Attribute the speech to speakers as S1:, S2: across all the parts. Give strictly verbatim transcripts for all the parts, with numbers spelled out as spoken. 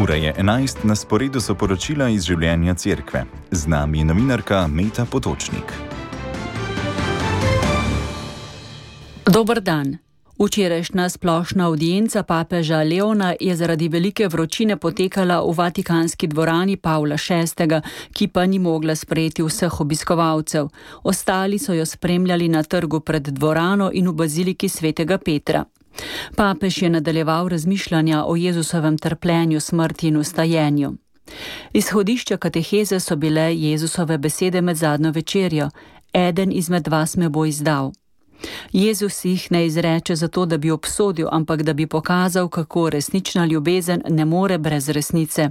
S1: Ura je enajst, na sporedu so poročila iz življenja cerkve. Z nami je novinarka Meta Potočnik.
S2: Dober dan. Včerajšnja splošna avdienca papeža Leona je zaradi velike vročine potekala v vatikanski dvorani Pavla šestega, ki pa ni mogla sprejeti vseh obiskovalcev. Ostali so jo spremljali na trgu pred dvorano in v baziliki svetega Petra. Papež je nadaljeval razmišljanja o Jezusovem trpljenju, smrti in vstajenju. Izhodišča kateheze so bile Jezusove besede med zadnjo večerjo: Eden izmed vas me bo izdal. Jezus jih ne izreče zato, da bi obsodil, ampak da bi pokazal, kako resnična ljubezen ne more brez resnice.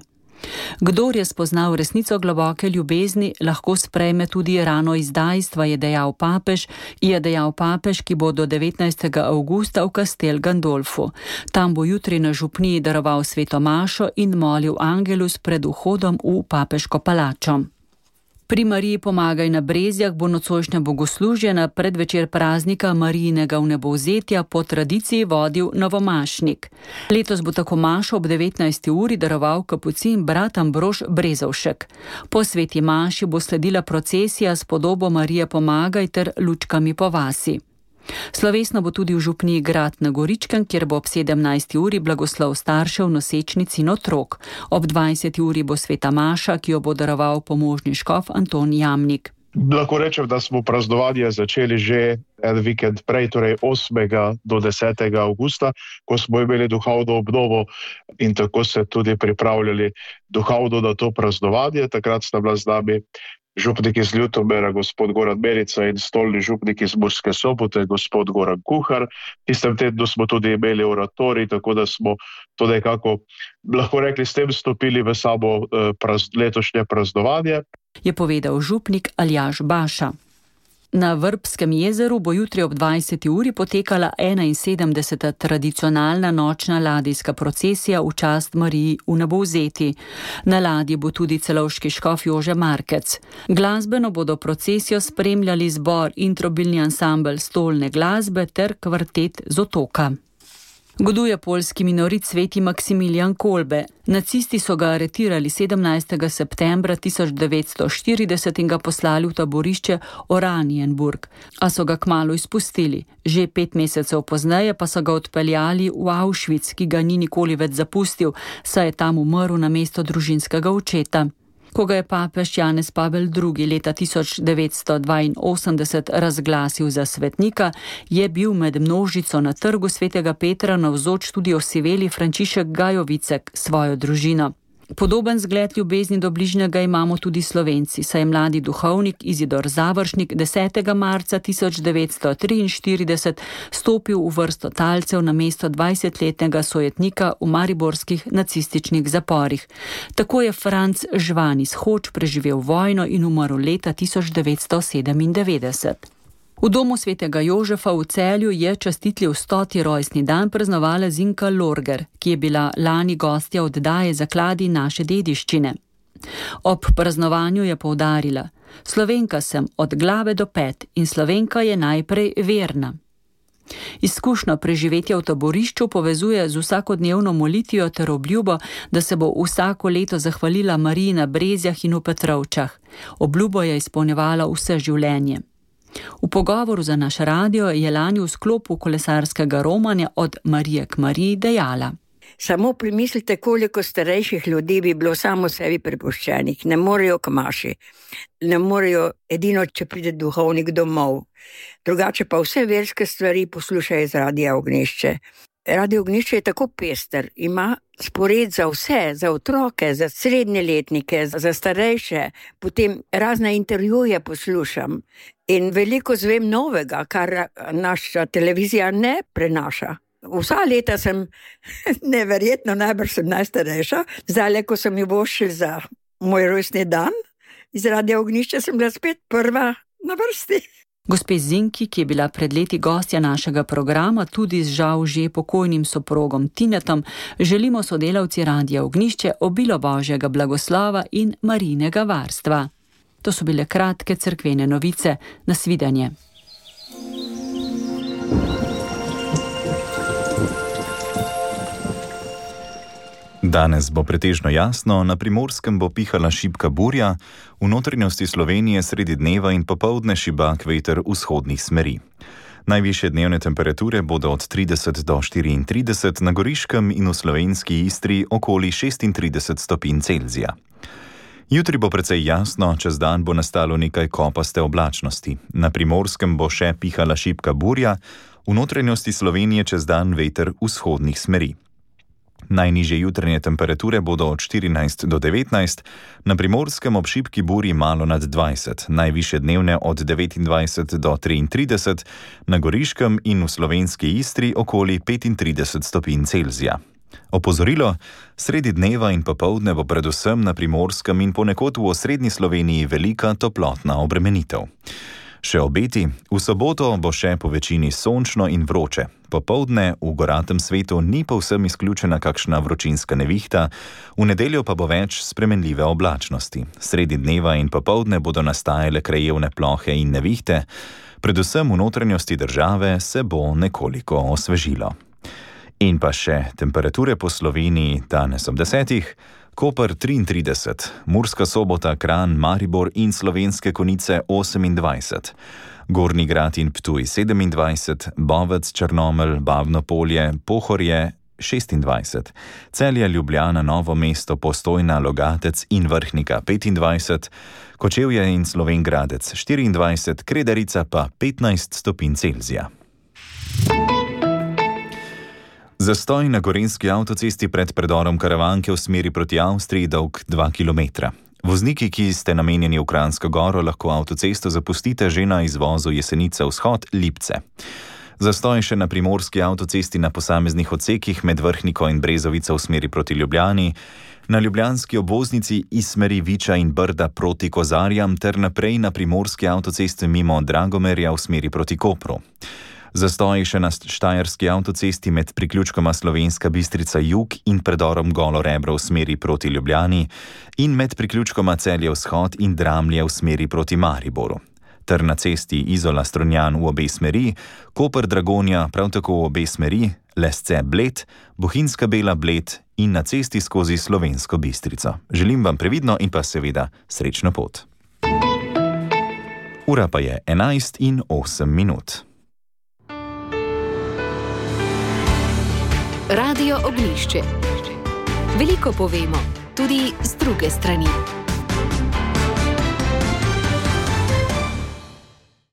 S2: Kdor je spoznal resnico globoke ljubezni, lahko sprejme tudi rano izdajstva, je dejal papež, je dejal papež, ki bo do devetnajstega avgusta v Castel Gandolfu. Tam bo jutri na župniji daroval sveto mašo in molil angelus pred vhodom v papeško palačo. Pri Mariji Pomagaj na Brezjah bo nocojšnja bogoslužje na predvečer praznika Marijinega vnebovzetja po tradiciji vodil novomašnik. Letos bo tako mašo ob devetnajsti uri daroval kapucin brat Ambrož Brezovšek. Po sveti maši bo sledila procesija s podobo Marije Pomagaj ter lučkami po vasi. Slovesno bo tudi v župniji Grad na Goričkem, kjer bo ob sedemnajsti uri blagoslov staršev, nosečnic in otrok. Ob dvajseti uri bo sveta maša, ki jo bo daroval pomožni škof Anton Jamnik.
S3: Lahko rečem, da smo praznovanje začeli že en vikend prej, torej osmega do desetega avgusta, ko smo imeli duhovno obnovo in tako se tudi pripravljali duhovno na to praznovanje. Takrat sta bila z nami župnik iz Ljutomera, gospod Goran Merica, in stolni župnik iz Murske Sobote, gospod Goran Kuhar. Tistem tednu smo tudi imeli oratorij, tako da smo to nekako, lahko rekli, s tem stopili v samo eh, praz, letošnje praznovanje.
S2: Je povedal župnik Aljaž Baša. Na Vrbskem jezeru bo jutri ob dvajseti uri potekala enainsedemdeseta tradicionalna nočna ladijska procesija v čast Mariji vnebovzeti. Na ladji bo tudi celovški škof Jože Markec. Glasbeno bodo procesijo spremljali zbor Introbilni ansambel stolne glasbe ter kvartet z Otoka. Goduje poljski minorit sveti Maksimilijan Kolbe. Nacisti so ga aretirali sedemnajstega septembra tisoč devetsto štirideset in ga poslali v taborišče Oranienburg, a so ga kmalu izpustili. Že pet mesecev pozneje pa so ga odpeljali v Auschwitz, ki ga ni nikoli več zapustil, saj je tam umrl namesto družinskega očeta. Ko ga je papež Janez Pavel drugi. leta tisoč devetsto dvainosemdeset razglasil za svetnika, je bil med množico na trgu svetega Petra navzoč tudi osiveli Frančišek Gajovicek s svojo družino. Podoben zgled ljubezni do bližnjega imamo tudi Slovenci, saj je mladi duhovnik Izidor Završnik desetega marca tisoč devetsto triinštirideset stopil v vrsto talcev na mesto dvajsetletnega sojetnika v mariborskih nacističnih zaporih. Tako je Franc Žvan iz Hoč preživel vojno in umrl leta tisoč devetsto sedemindevetdeset. V domu svetega Jožefa v Celju je častitljiv stoti rojstni dan praznovala Zinka Lorger, ki je bila lani gostja oddaje Zakladi naše dediščine. Ob praznovanju je poudarila: Slovenka sem od glave do pet in Slovenka je najprej verna. Izkušnjo preživetja v taborišču povezuje z vsakodnevno molitvijo ter obljubo, da se bo vsako leto zahvalila Mariji na Brezjah in v Petrovčah. Obljubo je izpolnjevala vse življenje. V pogovoru za naš radio je lani v sklopu kolesarskega romanja Od Marije k Mariji dejala:
S4: Samo premislite, koliko starejših ljudi bi bilo samo sebi prepuščenih. Ne morejo k maši, ne morejo edino, če pride duhovnik domov. Drugače pa vse verske stvari poslušajo iz Radia Ognjišče. Radio Ognjišče je tako pester, ima spored za vse, za otroke, za srednjeletnike, za starejše, potem razne intervjuje poslušam in veliko zvem novega, kar naša televizija ne prenaša. Vsa leta sem, neverjetno, najbrž sem najstarejša, zdaj, ko sem jo vošil za moj rojstni dan, iz Radia Ognjišče sem bila spet prva na vrsti.
S2: Gospe Zinki, ki je bila pred leti gostja našega programa, tudi z žal že pokojnim soprogom Tinetom, želimo sodelavci Radia Ognjišče obilo Božjega blagoslova in Marijinega varstva. To so bile kratke cerkvene novice. Nasvidenje.
S1: Danes bo pretežno jasno, na Primorskem bo pihala šibka burja, v notranjosti Slovenije sredi dneva in popoldne šibak veter vzhodnih smeri. Najvišje dnevne temperature bodo od trideset do štiriintrideset, na Goriškem in v slovenski Istri okoli šestintrideset stopinj Celzija. Jutri bo precej jasno, čez dan bo nastalo nekaj kopaste oblačnosti. Na Primorskem bo še pihala šibka burja, v notranjosti Slovenije čez dan veter vzhodnih smeri. Najnižje jutranje temperature bodo od štirinajst do devetnajst, na Primorskem ob šibki burji malo nad dvajset, najvišje dnevne od devetindvajset do triintrideset, na Goriškem in v slovenski Istri okoli petintrideset stopinj Celzija. Opozorilo, sredi dneva in popoldne bo predvsem na Primorskem in ponekod v osrednji Sloveniji velika toplotna obremenitev. Še obeti, v soboto bo še po večini sončno in vroče. Popoldne v goratem svetu ni povsem izključena kakšna vročinska nevihta, v nedeljo pa bo več spremenljive oblačnosti. Sredi dneva in popoldne bodo nastajale krajevne plohe in nevihte, predvsem v notranjosti države se bo nekoliko osvežilo. In pa še temperature po Sloveniji danes ob desetih, Koper triintrideset, Murska Sobota, Kranj, Maribor in Slovenske Konjice osemindvajset, Gornji Grad in Ptuj sedemindvajset, Bovec, Črnomelj, Bavno Polje, Pohorje šestindvajset, Celje, Ljubljana, Novo mesto, Postojna, Logatec in Vrhnika petindvajset, Kočevje in Slovenj Gradec štiriindvajset, Kredarica pa petnajst stopinj Celzija. Zastoj na gorenjski avtocesti pred predorom Karavanke v smeri proti Avstriji dolg dva kilometra. Vozniki, ki ste namenjeni v Kranjsko Goro, lahko avtocesto zapustite že na izvozu Jesenice vzhod Lipce. Zastoj še na primorski avtocesti na posameznih odsekih med Vrhniko in Brezovico v smeri proti Ljubljani, na ljubljanski obvoznici iz smeri Viča in Brda proti Kozarjam ter naprej na primorski avtocesti mimo Dragomerja v smeri proti Kopru. Zastoj še na štajerski avtocesti med priključkoma Slovenska Bistrica jug in predorom Golo Rebro v smeri proti Ljubljani in med priključkoma Celje vzhod in Dramlje v smeri proti Mariboru. Ter na cesti Izola Strunjan v obe smeri, Koper Dragonja prav tako v obe smeri, Lesce Bled, Bohinjska Bela Bled in na cesti skozi Slovensko Bistrico. Želim vam previdno in pa seveda srečno pot. Ura pa je enajst in osem minut.
S5: Radio Ognjišče. Veliko povemo, tudi z druge strani.